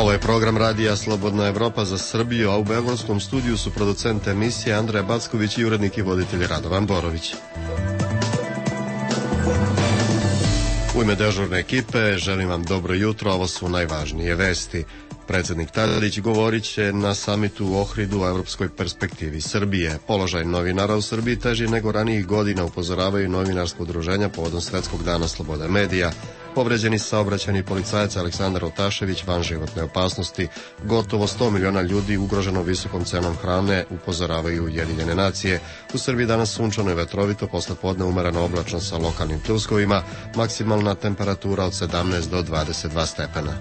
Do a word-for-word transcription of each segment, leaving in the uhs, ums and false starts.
Ovo je program radija Slobodna Evropa za Srbiju, a u beogradskom studiju su producent emisije Andreja Backović i urednik i voditelj Radovan Borović. U ime dežurne ekipe želim vam dobro jutro, ovo su najvažnije vesti. Predsjednik Tadić govorit će na samitu u Ohridu o evropskoj perspektivi Srbije. Položaj novinara u Srbiji teži nego ranijih godina, upozoravaju novinarsko udruženja povodom Svetskog dana slobode medija. Povređeni saobraćajni policajac Aleksandar Otašević van životne opasnosti. Gotovo sto miliona ljudi ugroženo visokom cenom hrane, upozoravaju Ujedinjene nacije. U Srbiji danas sunčano i vetrovito, posle podne umereno oblačno sa lokalnim pljuskovima, maksimalna temperatura od sedamnaest do dvadeset dva stepena.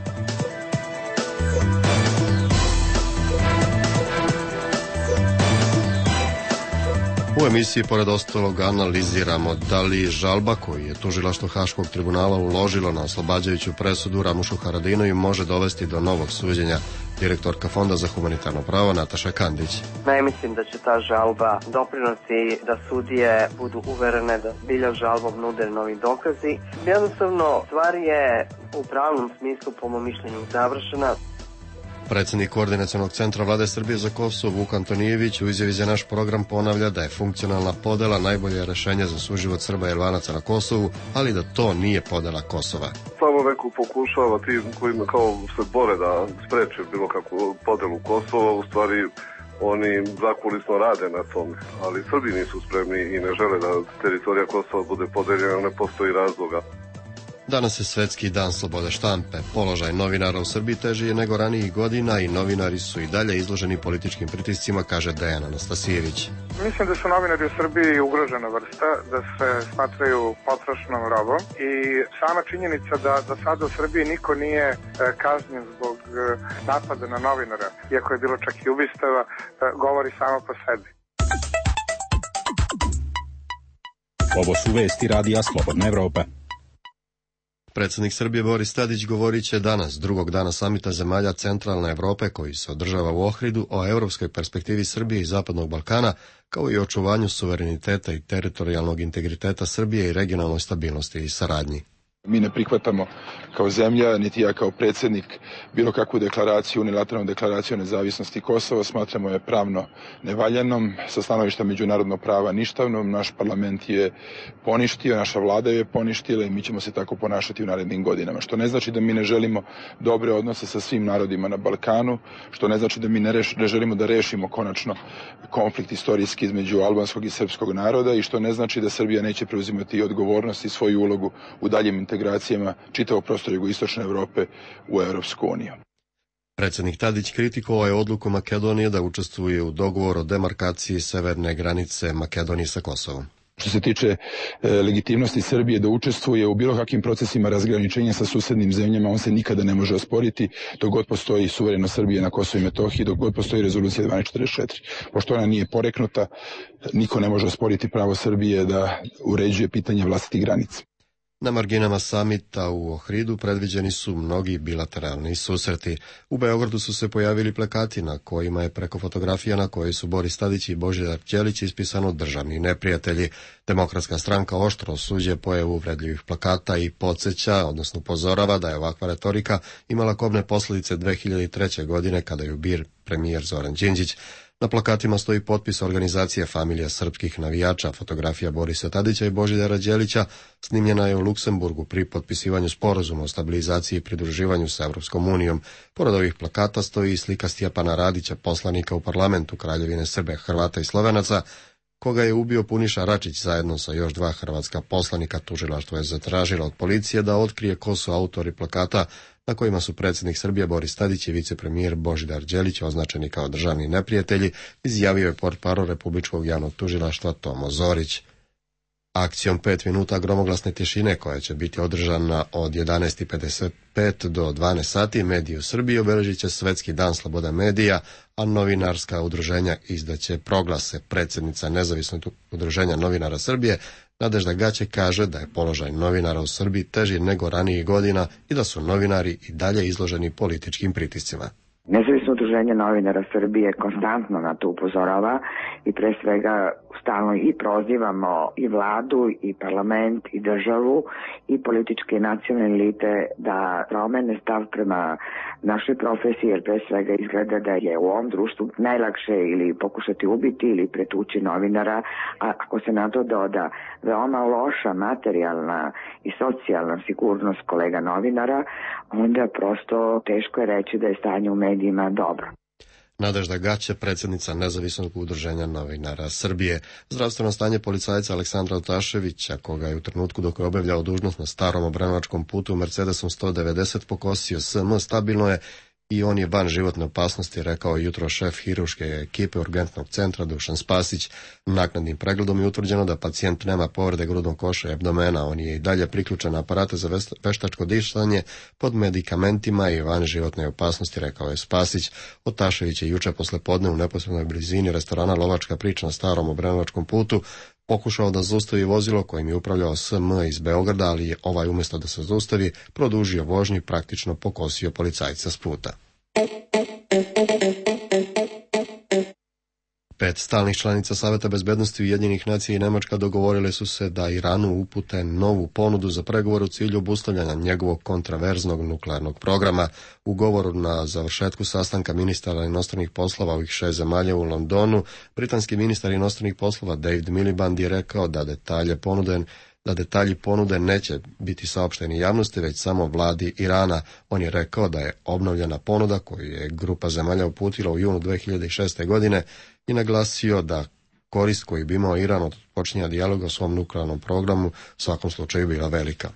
U emisiji, pored ostalog, analiziramo da li žalba koju je tužilaštvo Haškog tribunala uložilo na oslobađajuću presudu Ramušu Haradinaju može dovesti do novog suđenja. Direktorka Fonda za humanitarno pravo Nataša Kandić. Ne mislim da će ta žalba doprinosi da sudije budu uverene da zbilja žalbom nude novi dokazi. Jednostavno, stvar je u pravnom smislu, po mom mišljenju, završena. Predsjednik Koordinacionog centra Vlade Srbije za Kosovo Vuk Antonijević u izjavi za naš program ponavlja da je funkcionalna podela najbolje rešenje za suživot Srba i Albanaca na Kosovu, ali da to nije podela Kosova. Samo neko pokušava ti kojima kao se bore da spreče bilo kakvu podelu Kosova, u stvari oni zakulisno rade na tome, ali Srbi nisu spremni i ne žele da teritorija Kosova bude podeljena, ne postoji razloga. Danas je Svetski dan slobode štampe. Položaj novinara u Srbiji teži je nego ranijih godina i novinari su i dalje izloženi političkim pritiscima, kaže Dejan Anastasijević. Mislim da su novinari u Srbiji ugrožena vrsta, da se smatraju potrošnom robom i sama činjenica da, da sada u Srbiji niko nije kažnjen zbog napada na novinara, iako je bilo čak i ubistava, govori samo po sebi. Ovo su vesti radija Slobodna Evropa. Predsjednik Srbije Boris Tadić govorit će danas, drugog dana samita zemalja Centralne Evrope koji se održava u Ohridu, o evropskoj perspektivi Srbije i Zapadnog Balkana, kao i očuvanju suvereniteta i teritorijalnog integriteta Srbije i regionalnoj stabilnosti i saradnji. Mi ne prihvatamo kao zemlja, niti ja kao predsjednik, bilo kakvu deklaraciju, unilateralnu deklaraciju o nezavisnosti Kosova. Smatramo je pravno nevaljanom, sa stanovišta međunarodnog prava ništavnom. Naš parlament je poništio, naša vlada je poništila i mi ćemo se tako ponašati u narednim godinama. Što ne znači da mi ne želimo dobre odnose sa svim narodima na Balkanu, što ne znači da mi ne, reš, ne želimo da rešimo konačno konflikt istorijski između albanskog i srpskog naroda i što ne znači da Srbija neće preuzimati odgovornost i svoju ulogu u daljem integracijama čitavog prostora jugoistočne Evrope u Evropsku uniju. Predsjednik Tadić kritikovao je odluku Makedonije da učestvuje u dogovoru o demarkaciji severne granice Makedonije sa Kosovom. Što se tiče e, legitimnosti Srbije da učestvuje u bilo kakvim procesima razgraničenja sa susednim zemljama, on se nikada ne može osporiti dok god postoji suverenost Srbije na Kosovu i Metohiji, dok god postoji rezolucija dvanaest četrdeset četiri. Pošto ona nije poreknuta, niko ne može osporiti pravo Srbije da uređuje pitanje vlastitih granica. Na marginama samita u Ohridu predviđeni su mnogi bilateralni susreti. U Beogradu su se pojavili plakati na kojima je preko fotografija na kojoj su Boris Tadić i Božidar Đelić ispisano državni neprijatelji. Demokratska stranka oštro osuđuje pojavu uvredljivih plakata i podsjeća, odnosno upozorava da je ovakva retorika imala kobne posljedice dve hiljade treće. godine kada je ubir premijer Zoran Đinđić. Na plakatima stoji potpis organizacije Familija srpskih navijača. Fotografija Borisa Tadića i Božidara Đelića snimljena je u Luksemburgu pri potpisivanju sporazuma o stabilizaciji i pridruživanju sa Evropskom unijom. Pored ovih plakata stoji i slika Stjepana Radića, poslanika u parlamentu Kraljevine Srbe, Hrvata i Slovenaca, koga je ubio Puniša Račić zajedno sa još dva hrvatska poslanika. Tužilaštvo je zatražilo od policije da otkrije ko su autori plakata na kojima su predsjednik Srbije Boris Tadić i vicepremijer Božidar Đelić označeni kao državni neprijatelji, izjavio je portparol Republičkog javnog tužilaštva Tomo Zorić. Akcijom pet minuta gromoglasne tišine, koja će biti održana od jedanaest i pedeset pet do dvanaest sati, mediji u Srbiji obeležit će Svetski dan slobode medija, a novinarska udruženja izdaće proglase. Predsjednica Nezavisnog udruženja novinara Srbije Nadežda Gaće kaže da je položaj novinara u Srbiji teži nego ranijih godina i da su novinari i dalje izloženi političkim pritiscima. Nezavisno udruženje novinara Srbije konstantno na to upozorava i pre svega stalno i prozivamo i vladu i parlament i državu i političke i nacionalne elite da promene stav prema našoj profesiji, jer pre svega izgleda da je u ovom društvu najlakše ili pokušati ubiti ili pretući novinara, a ako se na to doda veoma loša materijalna i socijalna sigurnost kolega novinara, onda prosto teško je reći da je stanje u medijima dobro. Nadežda Gaća, predsjednica Nezavisnog udruženja novinara Srbije. Zdravstveno stanje policajca Aleksandra Otaševića, koga je u trenutku dok je obavljao dužnost na starom Obrenovačkom putu Mercedesom sto devedeset pokosio S M, stabilno je i on je van životne opasnosti, rekao jutro šef hirurške ekipe urgentnog centra Dušan Spasić. Naknadnim pregledom je utvrđeno da pacijent nema povrede grudnog koša i abdomena. On je i dalje priključen na aparate za veštačko dišanje pod medikamentima i van životne opasnosti, rekao je Spasić. Otašević je juče poslepodne u neposrednoj blizini restorana Lovačka priča na starom Obrenovačkom putu pokušao da zaustavi vozilo kojim je upravljao S M iz Beograda, ali je ovaj umjesto da se zaustavi produžio vožnju i praktično pokosio policajca s puta. Pet stalnih članica Saveta bezbednosti Ujedinjenih nacija i Nemačka dogovorile su se da Iranu upute novu ponudu za pregovor u cilju obustavljanja njegovog kontraverznog nuklearnog programa. U govoru na završetku sastanka ministara inostranih poslova ovih šest zemalja u Londonu, britanski ministar inostranih poslova David Miliband je rekao da detalje ponude da detalji ponude neće biti saopšteni javnosti, već samo vladi Irana. On je rekao da je obnovljena ponuda koju je grupa zemalja uputila u junu dve hiljade šeste. godine i naglasio da korist koju bi imao Iran od počinja dijaloga o svom nuklearnom programu u svakom slučaju bila velika.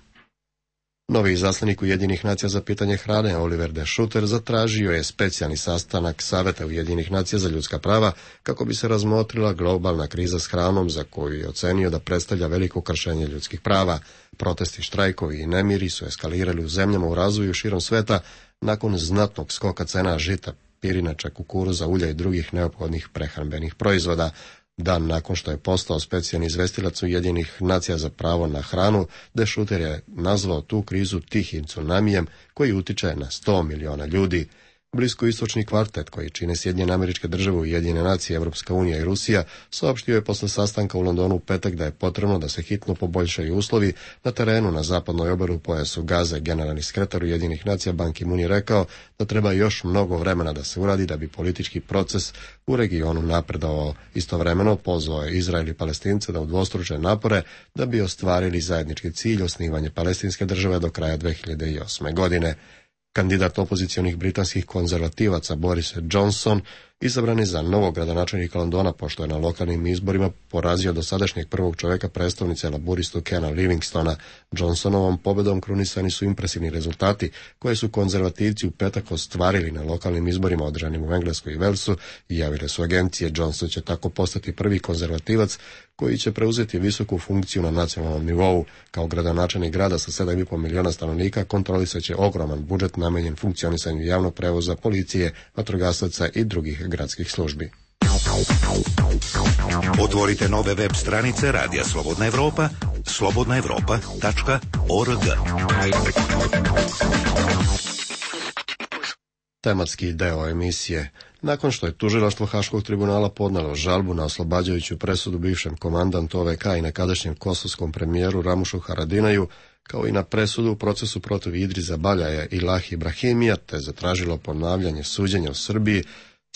Novi izaslanik Ujedinjenih nacija za pitanje hrane Oliver de Schutter zatražio je specijalni sastanak Saveta Ujedinjenih nacija za ljudska prava kako bi se razmotrila globalna kriza s hranom za koju je ocenio da predstavlja veliko kršenje ljudskih prava. Protesti, štrajkovi i nemiri su eskalirali u zemljama u razvoju širom sveta nakon znatnog skoka cena žita, pirinača, kukuruza, ulja i drugih neophodnih prehrambenih proizvoda. Dan nakon što je postao specijalni izvestilac Ujedinjenih nacija za pravo na hranu, de Schutter je nazvao tu krizu tihim tsunamijem koji utiče na sto miliona ljudi. Bliskoistočni kvartet, koji čine Sjedinjene Američke Države, Ujedinjene nacije, Evropska unija i Rusija, saopštio je posle sastanka u Londonu u petak da je potrebno da se hitno poboljšaju uslovi na terenu na zapadnoj obali u pojasu Gaze. Generalni sekretar Ujedinjenih nacija Ban Ki-moon je rekao da treba još mnogo vremena da se uradi da bi politički proces u regionu napredovao. Istovremeno pozvao je Izrael i Palestince da udvostruče napore da bi ostvarili zajednički cilj osnivanje palestinske države do kraja dve hiljade osme. godine. Kandidat opozicionih britanskih konzervativaca Boris Johnson izabran je za novog gradonačelnika Londona, pošto je na lokalnim izborima porazio dosadašnjeg prvog čovjeka predstavnice laburistu Kena Livingstona. Johnsonovom pobedom krunisani su impresivni rezultati koje su konzervativci u petak ostvarili na lokalnim izborima održanim u Engleskoj i Velsu i javile su agencije. Johnson će tako postati prvi konzervativac koji će preuzeti visoku funkciju na nacionalnom nivou. Kao gradonačelnik grada sa sedam i po miliona stanovnika kontrolisat će ogroman budžet namenjen funkcionisanju javnog prevoza, policije, vatrogasaca i drugih gradskih službi. Otvorite nove web stranice Radija Slobodna Evropa, slobodna evropa tačka org. Tematski deo emisije. Nakon što je tužilaštvo Haškog tribunala podnelo žalbu na oslobađajuću presudu bivšem komandantu O V K i nekadašnjem kosovskom premijeru Ramušu Haradinaju, kao i na presudu u procesu protiv Idrisa Baljaja i Lahi Ibrahimija, te zatražilo ponavljanje suđenja u Srbiji,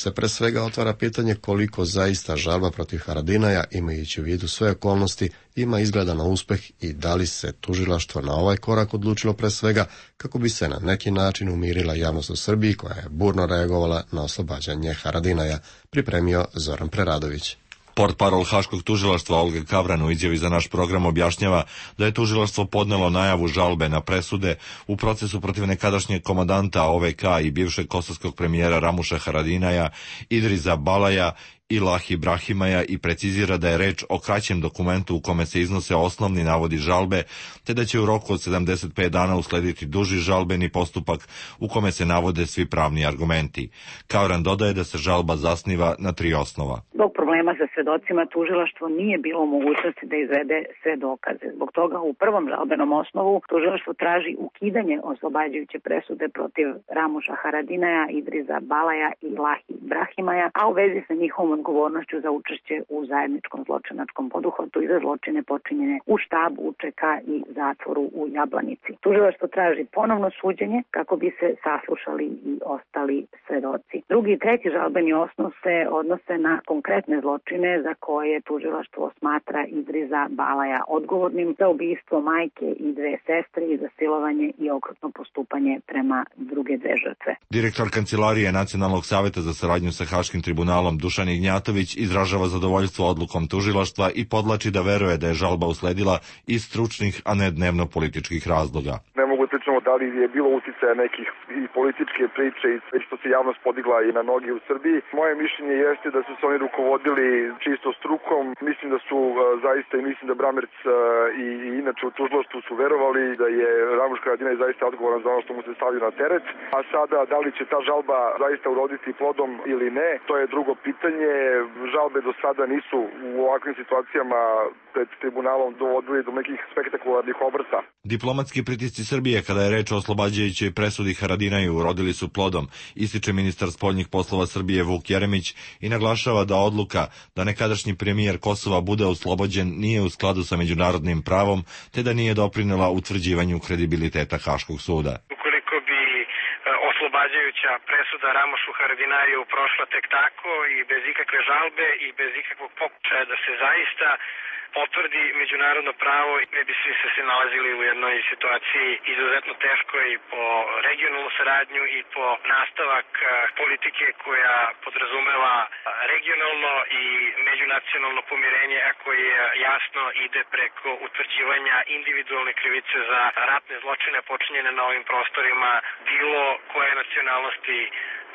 se pre svega otvara pitanje koliko zaista žalba protiv Haradinaja, imajući u vidu sve okolnosti, ima izgleda na uspeh i da li se tužilaštvo na ovaj korak odlučilo pre svega kako bi se na neki način umirila javnost u Srbiji koja je burno reagovala na oslobađanje Haradinaja, pripremio Zoran Preradović. Portparol Haškog tužilaštva Olga Kavran u izjavi za naš program objašnjava da je tužilaštvo podnelo najavu žalbe na presude u procesu protiv nekadašnjeg komandanta O V K i bivšeg kosovskog premijera Ramuša Haradinaja, Idrisa Balaja Ilahi Brahimaja i precizira da je reč o kraćem dokumentu u kome se iznose osnovni navodi žalbe, te da će u roku od sedamdeset pet dana uslediti duži žalbeni postupak u kome se navode svi pravni argumenti. Kavran dodaje da se žalba zasniva na tri osnova. Zbog problema sa svedocima tužilaštvo nije bilo u mogućnosti da izvede sve dokaze. Zbog toga u prvom žalbenom osnovu tužilaštvo traži ukidanje oslobađajuće presude protiv Ramuša Haradinaja, Idriza Balaja i Ilahi Brahimaja, a u vezi sa njihovom odgovornošću za učešće u zajedničkom zločinačkom poduhvatu i za zločine počinjene u štabu U Č K i zatvoru u Jablanici. Tužilaštvo traži ponovno suđenje kako bi se saslušali i ostali svedoci. Drugi i treći žalbeni osnov se odnose na konkretne zločine za koje tužilaštvo smatra Idriza Balaja odgovornim za ubistvo majke i dve sestre i za silovanje i okrutno postupanje prema druge dve žrtve. Direktor Kancelarije Nacionalnog saveta za saradnju sa Haškim tribunalom Dušan Ignjatović izražava zadovoljstvo odlukom tužilaštva i podlači da veruje da je žalba usledila iz stručnih, a ne dnevno-političkih razloga. Ne mogu da pričamo da li je bilo uticaja nekih i političke priče i sve što se javnost podigla i na noge u Srbiji. Moje mišljenje jeste da su se oni rukovodili čisto strukom. Mislim da su zaista i mislim da Bramerc i inače u tužilaštvu su verovali da je Ramuš Haradinaj zaista odgovoran za ono što mu se stavio na teret. A sada da li će ta žalba zaista uroditi plodom ili ne, to je drugo pitanje. Žalbe do sada nisu u ovakvim situacijama pred tribunalom dovodili do nekih spektakularnih obrta. Diplomatski pritisci Srbije kada je reč o oslobađajućoj presudi Haradinaju urodili su plodom, ističe ministar spoljnih poslova Srbije Vuk Jeremić i naglašava da odluka da nekadašnji premijer Kosova bude oslobođen nije u skladu sa međunarodnim pravom, te da nije doprinela utvrđivanju kredibiliteta Haškog suda. Ukoliko bi oslobađajuća presuda Ramušu Haradinaju prošla tek tako i bez ikakve žalbe i bez ikakvog pokušaja da se zaista potvrdi međunarodno pravo, ne bi svi se se nalazili u jednoj situaciji izuzetno teškoj po regionalnu saradnju i po nastavak politike koja podrazumeva regionalno i međunacionalno pomirenje, a koje jasno ide preko utvrđivanja individualne krivice za ratne zločine počinjene na ovim prostorima, bilo koje nacionalnosti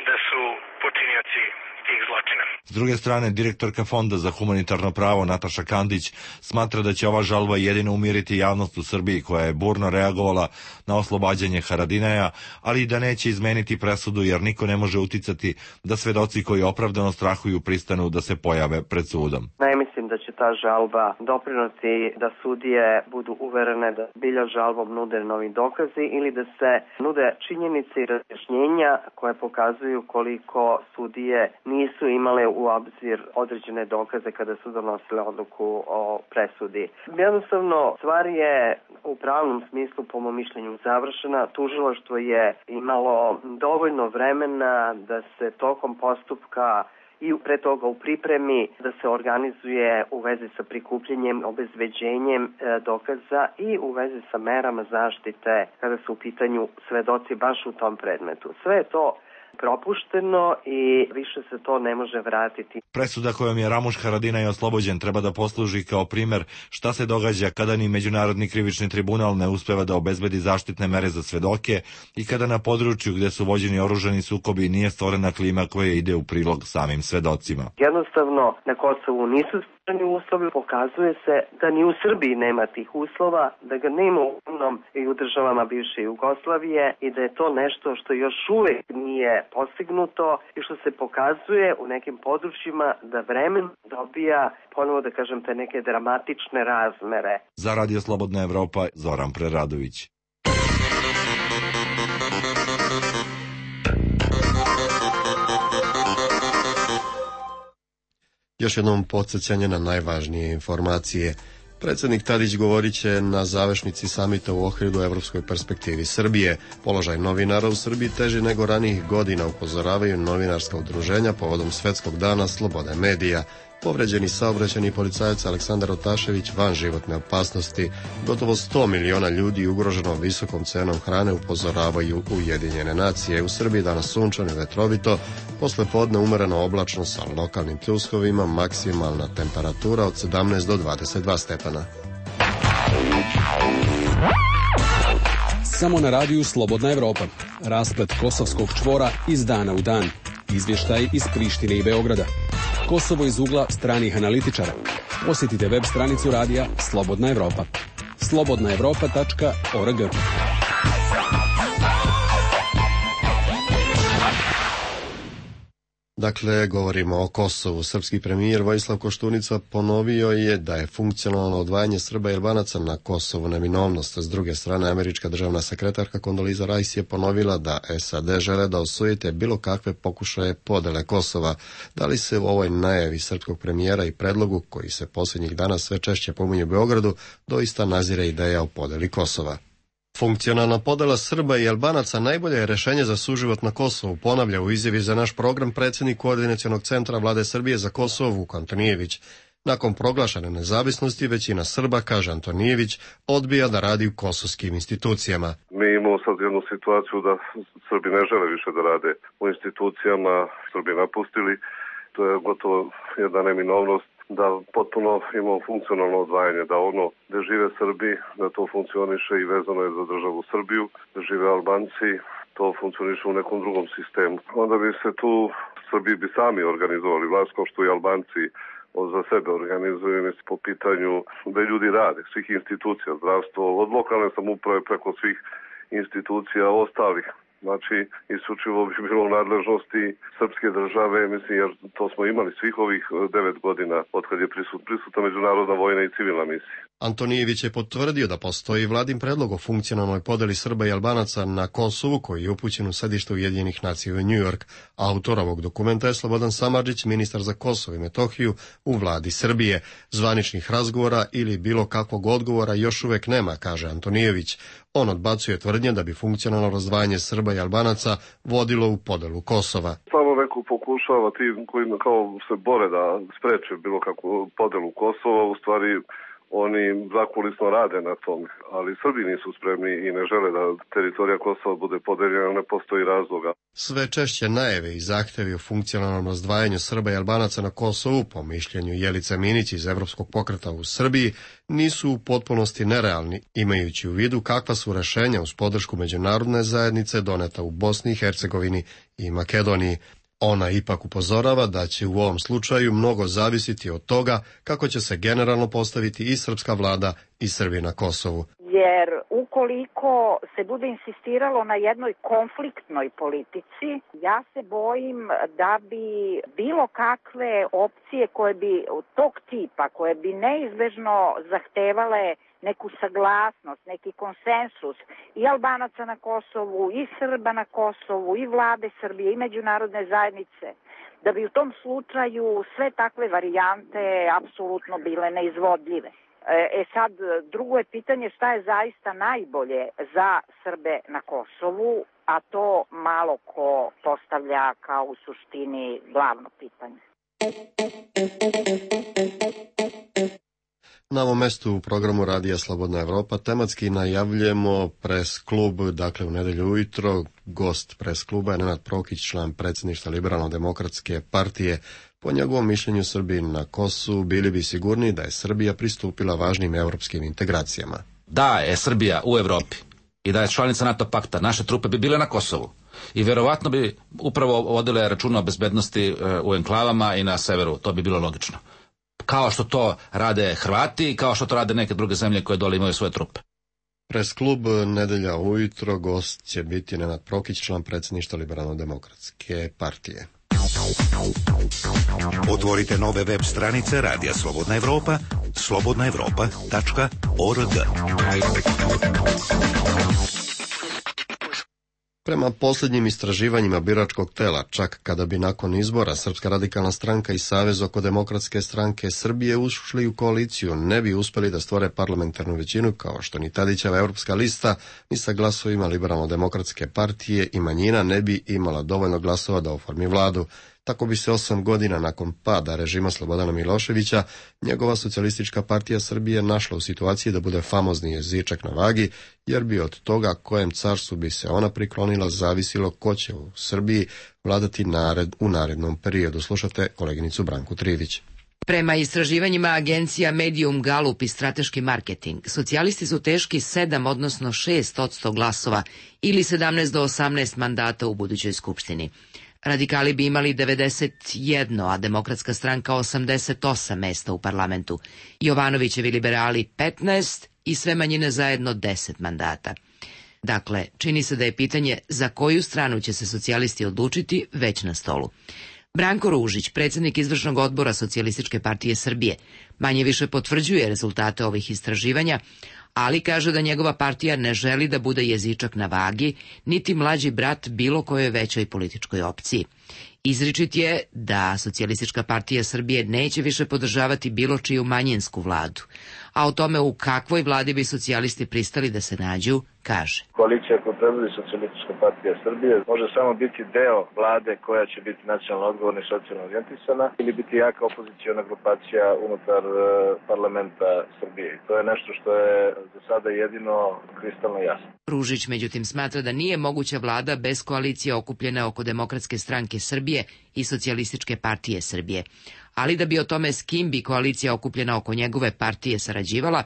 da su počinioci tih zločina. S druge strane, direktorka Fonda za humanitarno pravo Nataša Kandić smatra da će ova žalba jedino umiriti javnost u Srbiji koja je burno reagovala na oslobađanje Haradinaja, ali i da neće izmeniti presudu jer niko ne može uticati da svedoci koji opravdano strahuju pristanu da se pojave pred sudom. Ne mislim da će ta žalba doprinosti da sudije budu uverene da bilja žalbom nude novi dokazi ili da se nude činjenice i razjašnjenja koje pokazuju koliko sudije nisu imale u obzir određene dokaze kada su donosile odluku o presudi. Jednostavno, stvar je u pravnom smislu, po mom mišljenju, završena. Tužilaštvo je imalo dovoljno vremena da se tokom postupka i pre toga u pripremi da se organizuje u vezi sa prikupljenjem, obezbeđenjem e, dokaza i u vezi sa merama zaštite kada su u pitanju svedoci baš u tom predmetu. Sve je to propušteno i više se to ne može vratiti. Presuda kojom je Ramuš Haradinaj oslobođen treba da posluži kao primer šta se događa kada ni Međunarodni krivični tribunal ne uspeva da obezbedi zaštitne mere za svedoke i kada na području gde su vođeni oružani sukobi nije stvorena klima koja ide u prilog samim svedocima. Jednostavno, na Kosovu nisu stvoreni uslovi, pokazuje se da ni u Srbiji nema tih uslova, da ga nema u onom i u državama bivše Jugoslavije i da je to nešto što još uvek nije postignuto i što se pokazuje u nekim područjima da vremen dobija, ponovo da kažem, te neke dramatične razmere. Za Radio Slobodna Evropa, Zoran Preradović. Još jednom podsjećanje na najvažnije informacije. Predsjednik Tadić govorit će na završnici samita u Ohridu o evropskoj perspektivi Srbije. Položaj novinara u Srbiji teži nego ranijih godina, upozoravaju novinarska udruženja povodom Svetskog dana slobode medija. Povređeni saobraćajni policajac Aleksandar Otašević van životne opasnosti. Gotovo sto miliona ljudi ugroženo visokom cenom hrane, upozoravaju Ujedinjene nacije. U Srbiji danas sunčano i vetrovito, posle podne umereno oblačno sa lokalnim pljuskovima, maksimalna temperatura od sedamnaest do dvadeset dva stepena. Samo na radiju Slobodna Evropa. Rasplet kosovskog čvora iz dana u dan. Izvještaj iz Prištine i Beograda. Kosovo iz ugla stranih analitičara. Posjetite web stranicu radija Slobodna Evropa. slobodna evropa tačka org. Dakle, govorimo o Kosovu. Srpski premijer Vojislav Koštunica ponovio je da je funkcionalno odvajanje Srba i Albanaca na Kosovu neminovnost. S druge strane, američka državna sekretarka Kondoliza Rice je ponovila da S A D žele da osujete bilo kakve pokušaje podele Kosova. Da li se u ovoj najavi srpskog premijera i predlogu, koji se posljednjih dana sve češće pominje u Beogradu, doista nazire ideja o podeli Kosova? Funkcionalna podela Srba i Albanaca najbolje je rešenje za suživot na Kosovu, ponavlja u izjavi za naš program predsjednik Koordinacionog centra Vlade Srbije za Kosovo Vuk Antonijević. Nakon proglašene nezavisnosti, većina Srba, kaže Antonijević, odbija da radi u kosovskim institucijama. Mi imamo sad jednu situaciju da Srbi ne žele više da rade u institucijama, Srbi napustili, to je gotovo jedna neminovnost da potpuno imamo funkcionalno odvajanje, da ono gde žive Srbi, da to funkcioniše i vezano je za državu Srbiju, da žive Albanci, to funkcioniše u nekom drugom sistemu. Onda bi se tu Srbi bi sami organizovali vlast, kao što i Albanci za sebe organizuju po pitanju da ljudi rade, svih institucija, zdravstvo, od lokalne samouprave preko svih institucija ostalih. Znači, isključivo bi bilo u nadležnosti srpske države, mislim, jer to smo imali svih ovih devet godina od kad je prisut, prisutna međunarodna vojna i civilna misija. Antonijević je potvrdio da postoji vladin predlog o funkcionalnoj podeli Srba i Albanaca na Kosovu, koji je upućen u sedište Ujedinjenih nacija u New York. Autor ovog dokumenta je Slobodan Samardžić, ministar za Kosovo i Metohiju u vladi Srbije. Zvaničnih razgovora ili bilo kakvog odgovora još uvek nema, kaže Antonijević. On odbacuje tvrdnje da bi funkcionalno razdvajanje Srba i Albanaca vodilo u podelu Kosova. Samo neko pokušava, ti koji kao se bore da spreče bilo kakvu podelu Kosova, u stvari oni zakulisno rade na tome, ali Srbi nisu spremni i ne žele da teritorija Kosova bude podeljena, ne postoji razloga. Sve češće najave i zahtevi o funkcionalnom razdvajanju Srba i Albanaca na Kosovu, po mišljenju Jelice Minić iz Evropskog pokreta u Srbiji, nisu u potpunosti nerealni, imajući u vidu kakva su rešenja uz podršku međunarodne zajednice doneta u Bosni i Hercegovini i Makedoniji. Ona ipak upozorava da će u ovom slučaju mnogo zavisiti od toga kako će se generalno postaviti i srpska vlada i Srbi na Kosovu. Jer ukoliko se bude insistiralo na jednoj konfliktnoj politici, ja se bojim da bi bilo kakve opcije koje bi tog tipa, koje bi neizbežno zahtevale neku saglasnost, neki konsensus i Albanaca na Kosovu, i Srba na Kosovu, i vlade Srbije, i međunarodne zajednice, da bi u tom slučaju sve takve varijante apsolutno bile neizvodljive. E sad, drugo je pitanje šta je zaista najbolje za Srbe na Kosovu, a to malo ko postavlja kao u suštini glavno pitanje. Na ovom mestu u programu Radija Slobodna Evropa tematski najavljujemo pres klub, dakle u nedelju ujutro. Gost pres kluba je Nenad Prokić, član predsjedništva Liberalno-demokratske partije. Po njegovom mišljenju Srbi na Kosovu bili bi sigurni da je Srbija pristupila važnim evropskim integracijama. Da je Srbija u Evropi i da je članica NATO pakta, naše trupe bi bile na Kosovu i verovatno bi upravo vodile računa o bezbednosti u enklavama i na severu, to bi bilo logično. Kao što to rade Hrvati i kao što to rade neke druge zemlje koje dole imaju svoje trupe. Pres klub nedelja ujutro, gost će biti Nenad Prokić, član predsjedništva Liberalno-demokratske partije. Otvorite nove web stranice Radija Slobodna Evropa, slobodna evropa tačka org. Prema posljednjim istraživanjima biračkog tela, čak kada bi nakon izbora Srpska radikalna stranka i Savez oko demokratske stranke Srbije ušli u koaliciju, ne bi uspeli da stvore parlamentarnu većinu, kao što ni Tadićeva Evropska lista, ni sa glasovima Liberalno-demokratske partije i manjina ne bi imala dovoljno glasova da oformi vladu. Tako bi se osam godina nakon pada režima Slobodana Miloševića, njegova socijalistička partija Srbije našla u situaciji da bude famozni jezičak na vagi, jer bi od toga kojem carstvu bi se ona priklonila zavisilo ko će u Srbiji vladati nared u narednom periodu. Slušate koleginicu Branku Trivić. Prema istraživanjima agencija Medium, Gallup i Strateški marketing, socijalisti su teški sedam, odnosno šest odsto glasova ili sedamnaest do osamnaest mandata u budućoj skupštini. Radikali bi imali devedeset jedno, a Demokratska stranka osamdeset osam mesta u parlamentu. Jovanovićevi liberali petnaest i sve manjine zajedno deset mandata. Dakle, čini se da je pitanje za koju stranu će se socijalisti odlučiti već na stolu. Branko Ružić, predsjednik izvršnog odbora Socijalističke partije Srbije, manje više potvrđuje rezultate ovih istraživanja, ali kaže da njegova partija ne želi da bude jezičak na vagi, niti mlađi brat bilo kojoj većoj političkoj opciji. Izričit je da Socijalistička partija Srbije neće više podržavati bilo čiju manjinsku vladu, a o tome u kakvoj vladi bi socijalisti pristali da se nađu, kaže. Koalicija koju predvodi Socijalistička partija Srbije može samo biti deo vlade koja će biti nacionalno odgovorna i socijalno orijentisana ili biti jaka opoziciona grupacija unutar parlamenta Srbije. To je nešto što je za sada jedino kristalno jasno. Ružić međutim smatra da nije moguća vlada bez koalicije okupljene oko Demokratske stranke Srbije i Socijalističke partije Srbije. Ali da bi o tome s kim bi koalicija okupljena oko njegove partije sarađivala,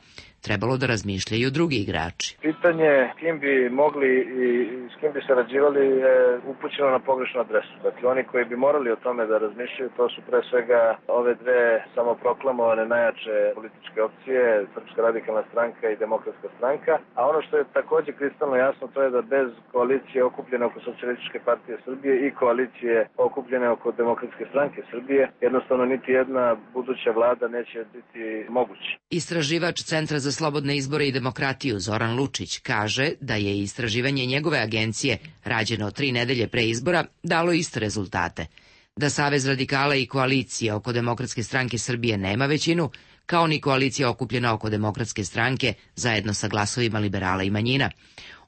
trebalo da razmišljaju drugi igrači. Pitanje kim bi mogli i s kim bi sarađivali je upućeno na pogrešnu adresu. Dakle, oni koji bi morali o tome da razmišljaju, to su pre svega ove dve samoproklamovane najjače političke opcije, Srpska radikalna stranka i Demokratska stranka. A ono što je takođe kristalno jasno, to je da bez koalicije okupljene oko Socijalističke partije Srbije i koalicije okupljene oko Demokratske stranke Srbije, jednostavno niti jedna buduća vlada neće biti moguća. Istraživač Centra za slobodne izbore i demokratiju Zoran Lučić kaže da je istraživanje njegove agencije, rađeno tri nedelje pre izbora, dalo iste rezultate. Da Savez radikala i koalicija oko Demokratske stranke Srbije nema većinu, kao ni koalicija okupljena oko Demokratske stranke zajedno sa glasovima liberala i manjina.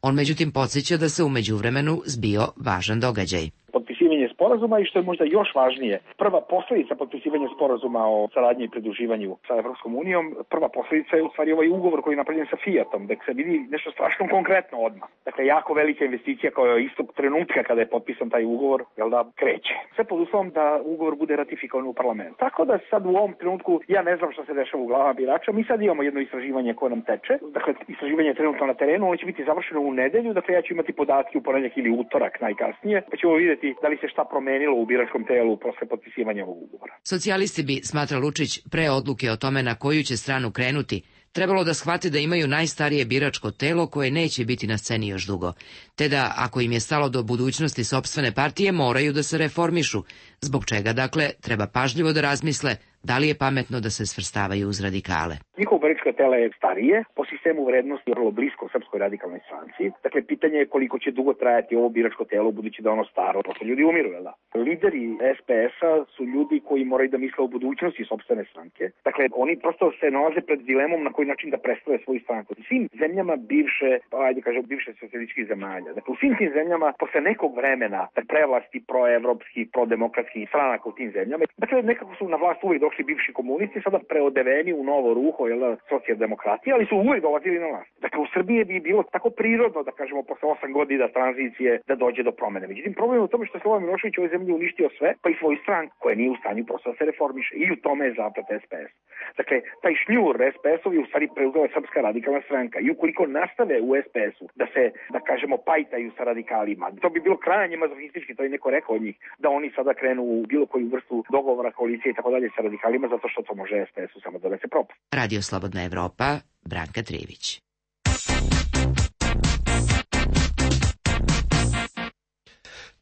On međutim podsjeća da se u međuvremenu zbio važan događaj. Potpisivanje sporazuma i što je možda još važnije, prva posledica potpisivanja sporazuma o saradnji i pridruživanju sa Evropskom unijom, prva posledica je u stvari ovaj ugovor koji je napravljen sa Fiatom, da se vidi nešto strašno konkretno odmah. Dakle, jako velika investicija koja je istog trenutka kada je potpisan taj ugovor, jel da, kreće. Sve pod uslovom da ugovor bude ratifikovan u parlamentu. Tako da sad u ovom trenutku ja ne znam šta se dešava u glavama birača, mi sad imamo jedno istraživanje koje nam teče, dakle, istraživanje je trenutno na terenu, ono će biti završeno u nedelju, dakle ja ću imati podatke u ponedeljak ili utorak najkasnije, pa ćemo vidjeti da li se šta promenilo u biračkom telu posle potpisivanja ovog ugovora. Socijalisti bi, smatra Lučić, pre odluke o tome na koju će stranu krenuti, trebalo da shvate da imaju najstarije biračko telo koje neće biti na sceni još dugo, te da, ako im je stalo do budućnosti sopstvene partije, moraju da se reformišu, zbog čega, dakle, treba pažljivo da razmisle da li je pametno da se svrstavaju uz radikale. Njihovo biračko telo je starije, po sistemu vrednosti je vrlo blisko Srpskoj radikalnoj stranci. Dakle, pitanje je koliko će dugo trajati ovo biračko telo, budući da ono staro, posle ljudi umiru, jel da? Lideri es pe es-a su ljudi koji moraju da misle o budućnosti sopstvene stranke. Dakle, oni prosto se nalaze pred dilemom na koji način da predstave svoju stranku. U svim zemljama bivše, pa ajde kažem, bivše socijalističkih zemalja. Dakle, u svim tim zemljama, posle nekog vremena, prevlasti proevropskih, prodemokratskih stranaka u tim zemljama, dakle, nekako su na vlast uvijek došli bivši komunisti, sada preodeveni u novo ruho, jel, socijaldemokratije, ali su uvijek dolazili na vlast. Dakle, u Srbiji bi bilo tako prirodno, da kažemo, posle osam godina tranzicije, da dođe do promene. Međutim, problem je u tome što je Slobodan Milošević u ovoj zemlji uništio sve, pa i svoju stranku, koja nije u stanju prosto da se reformiše. I u tome je zaplet es pe es. Dakle, taj šljur es pe es-ovi u stvari preuzela Srpska radikalna stranka. I ukoliko nastave u es pe es-u da se, da kažemo, pajtaju sa radikalima, to bi bilo krajnje mazohistički, to je neko rekao od njih, da oni sada krenu u bilo koju vrstu dogovora, koalicije i tako dalje sa radikalima, zato što to može es pe es-u samo da se propast. Radio Slobodna Evropa, Branka Trivić.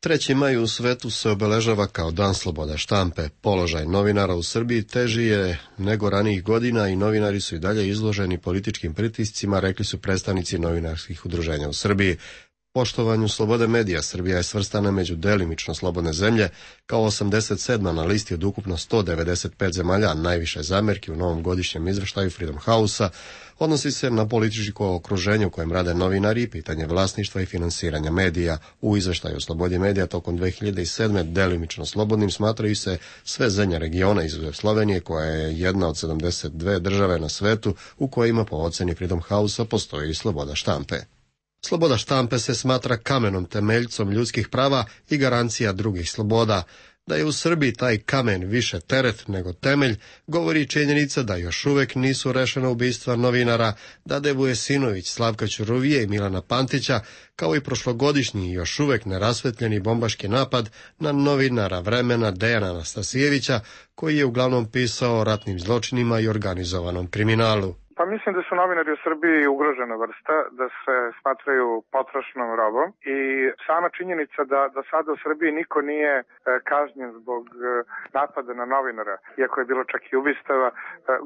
treći maj u svetu se obeležava kao Dan sloboda štampe. Položaj novinara u Srbiji teži je nego ranijih godina i novinari su i dalje izloženi političkim pritiscima, rekli su predstavnici novinarskih udruženja u Srbiji. Poštovanju slobode medija Srbija je svrstana među delimično slobodne zemlje kao osamdeset sedma na listi od ukupno sto devedeset pet zemalja. Najviše zamerki u novom godišnjem izveštaju Freedom House-a odnosi se na političko okruženje u kojem rade novinari i pitanje vlasništva i finansiranja medija. U izveštaju o slobodi medija tokom dve hiljade sedme delimično slobodnim smatraju se sve zemlje regiona izuzev Slovenije, koja je jedna od sedamdeset dve države na svetu u kojima po oceni Freedom House-a postoji sloboda štampe. Sloboda štampe se smatra kamenom temeljcom ljudskih prava i garancija drugih sloboda. Da je u Srbiji taj kamen više teret nego temelj, govori činjenica da još uvek nisu rešena ubistva novinara Dade Vujesinović, Slavka Ćuruvije i Milana Pantića, kao i prošlogodišnji još uvek nerasvetljeni bombaški napad na novinara Vremena Dejana Anastasijevića, koji je uglavnom pisao o ratnim zločinima i organizovanom kriminalu. Pa mislim da su novinari u Srbiji ugrožena vrsta, da se smatraju potrošnom robom i sama činjenica da, da sada u Srbiji niko nije e, kažnjen zbog e, napada na novinara, iako je bilo čak i ubistava, e,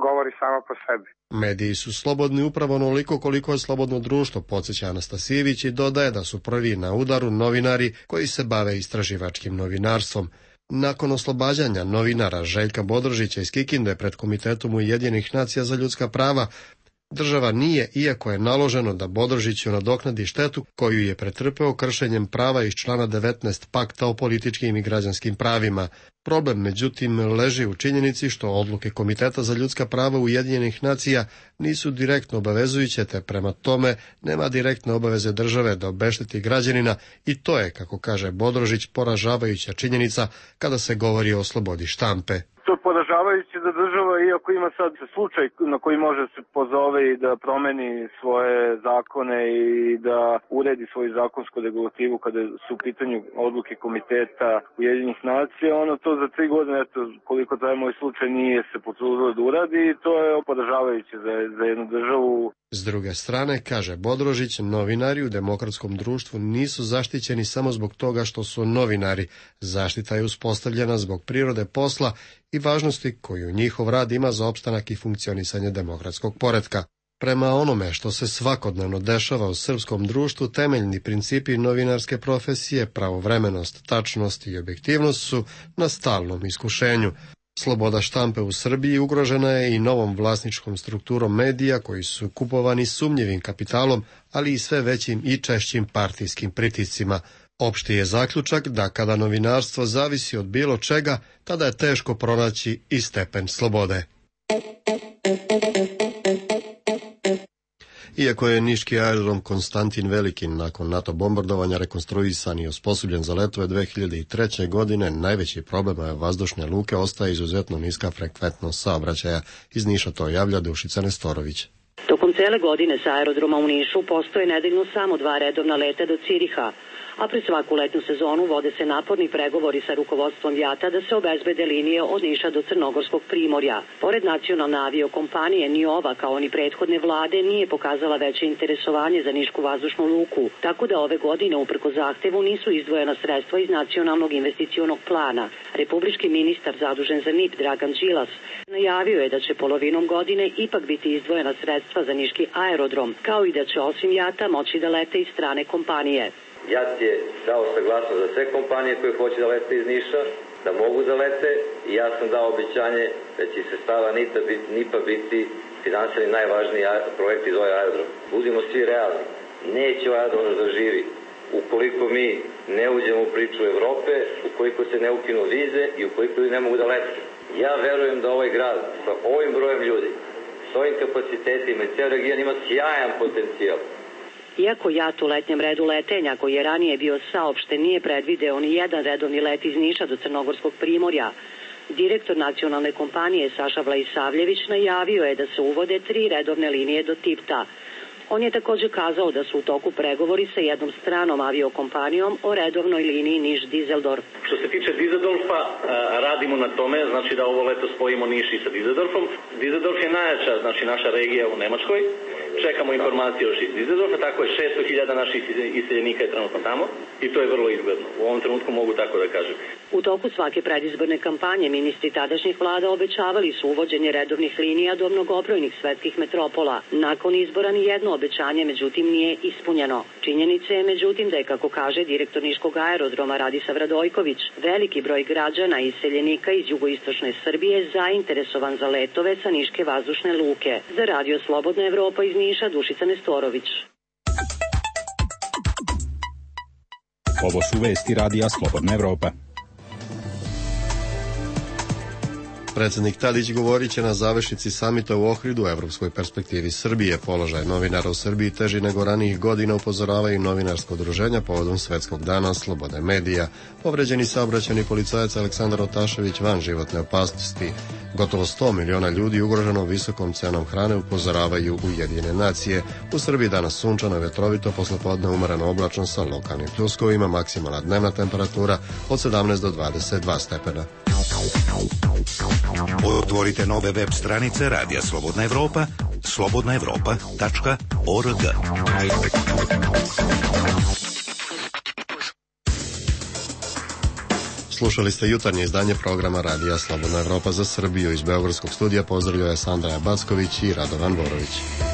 govori samo po sebi. Mediji su slobodni upravo onoliko koliko je slobodno društvo, podsjeća Anastasijević i dodaje da su prvi na udaru novinari koji se bave istraživačkim novinarstvom. Nakon oslobađanja novinara Željka Bodrožića iz Kikinde pred Komitetom Ujedinjenih nacija za ljudska prava, država nije, iako je naloženo da Bodrožiću nadoknadi štetu koju je pretrpeo kršenjem prava iz člana devetnaest Pakta o političkim i građanskim pravima. Problem, međutim, leži u činjenici što odluke Komiteta za ljudska prava Ujedinjenih nacija nisu direktno obavezujuće, te prema tome nema direktne obaveze države da obešteti građanina i to je, kako kaže Bodrožić, poražavajuća činjenica kada se govori o slobodi štampe. To je poražavajuće da država, iako ima sad slučaj na koji može se pozove i da promeni svoje zakone i da uredi svoju zakonsku regulativu kada su u pitanju odluke Komiteta Ujedinjenih nacija, ono to za tri godine, eto, koliko traje moj slučaj, nije se potrudilo da uradi i to je poražavajuće za, za jednu državu. S druge strane, kaže Bodrožić, novinari u demokratskom društvu nisu zaštićeni samo zbog toga što su novinari. Zaštita je uspostavljena zbog prirode posla i važnosti koju njihov rad ima za opstanak i funkcionisanje demokratskog poretka. Prema onome što se svakodnevno dešava u srpskom društvu, temeljni principi novinarske profesije, pravovremenost, tačnost i objektivnost su na stalnom iskušenju. Sloboda štampe u Srbiji ugrožena je i novom vlasničkom strukturom medija koji su kupovani sumnjivim kapitalom, ali i sve većim i češćim partijskim pritiscima. Opšti je zaključak da kada novinarstvo zavisi od bilo čega, tada je teško pronaći i stepen slobode. Iako je niški aerodrom Konstantin Veliki nakon NATO bombardovanja rekonstruisan i osposobljen za letove dve hiljade treće. godine, najveći problem je vazdušne luke ostaje izuzetno niska frekventnost saobraćaja. Iz Niša to javlja Dušica Nestorović. Tokom cele godine sa aerodroma u Nišu postoje nedeljno samo dva redovna leta do Ciriha, a pred svaku letnju sezonu vode se naporni pregovori sa rukovodstvom JAT-a da se obezbede linije od Niša do Crnogorskog primorja. Pored nacionalne aviokompanije, ni ova, kao ni prethodne vlade, nije pokazala veće interesovanje za nišku vazdušnu luku, tako da ove godine, uprko zahtevu, nisu izdvojena sredstva iz nacionalnog investicionog plana. Republički ministar zadužen za N I P, Dragan Đilas, najavio je da će polovinom godine ipak biti izdvojena sredstva za niški aerodrom, kao i da će osim JAT-a moći da lete i strane kompanije. JAT je dao saglasnost za sve kompanije koje hoće da lete iz Niša, da mogu da lete i ja sam dao obećanje da će se stava N I P-a biti finansirani najvažniji projekt iz ovaj aerodrom. Budimo svi realni, neće ovaj aerodrom da živi ukoliko mi ne uđemo u priču Evrope, ukoliko se ne ukinu vize i ukoliko ljudi ne mogu da lete. Ja verujem da ovaj grad sa ovim brojem ljudi, s ovim kapacitetima i ceo region ima sjajan potencijal. Iako JAT u letnjem redu letenja, koji je ranije bio saopšten, nije predvideo ni jedan redovni let iz Niša do Crnogorskog primorja, direktor nacionalne kompanije Saša Vlaisavljević najavio je da se uvode tri redovne linije do Tipta. On je također kazao da su u toku pregovori sa jednom stranom aviokompanijom o redovnoj liniji Niš-Dizeldorf. Što se tiče Dizeldorfa, radimo na tome, znači da ovo leto spojimo Niš i sa Dizeldorfom. Dizeldorf je najjača, znači naša regija u Nemačkoj. Čekamo informacije još iz Dizeldorfa, tako je šesto hiljada naših iseljenika je trenutno tamo i to je vrlo izgledno. U ovom trenutku mogu tako da kažem. U toku svake predizborne kampanje ministri tadašnjih vlada obećavali su uvođenje redovnih linija do mnogobrojnih svetskih metropola. Nakon izbora ni jedno obećanje međutim nije ispunjeno. Činjenica je međutim da je, kako kaže direktor niškog aerodroma Radisav Radojković, veliki broj građana i iseljenika iz jugoistočne Srbije zainteresovan za letove sa niške vazdušne luke. Za Radio Slobodna Evropa iz Niša, Dušica Nestorović. Ovo su vesti Radija Slobodna Evropa. Predsjednik Tadić govorit će na završnici samita u Ohridu o evropskoj perspektivi Srbije. Položaj novinara u Srbiji teži nego ranijih godina, upozoravaju novinarsko udruženja povodom Svetskog dana slobode medija. Povređeni saobraćajni policajac Aleksandar Otašević van životne opasnosti. Gotovo sto miliona ljudi ugroženo visokom cenom hrane, upozoravaju Ujedinjene nacije. U Srbiji danas sunčano i vetrovito, poslepodne umereno oblačno sa lokalnim pljuskovima, maksimalna dnevna temperatura od sedamnaest do dvadeset dva stepena. Otvorite nove web stranice Radija Slobodna Evropa, slobodna evropa tačka org. Slušali ste jutarnje izdanje programa Radija Slobodna Evropa za Srbiju. Iz Beogradskog studija pozdravljaju je Sandra Backović i Radovan Borović.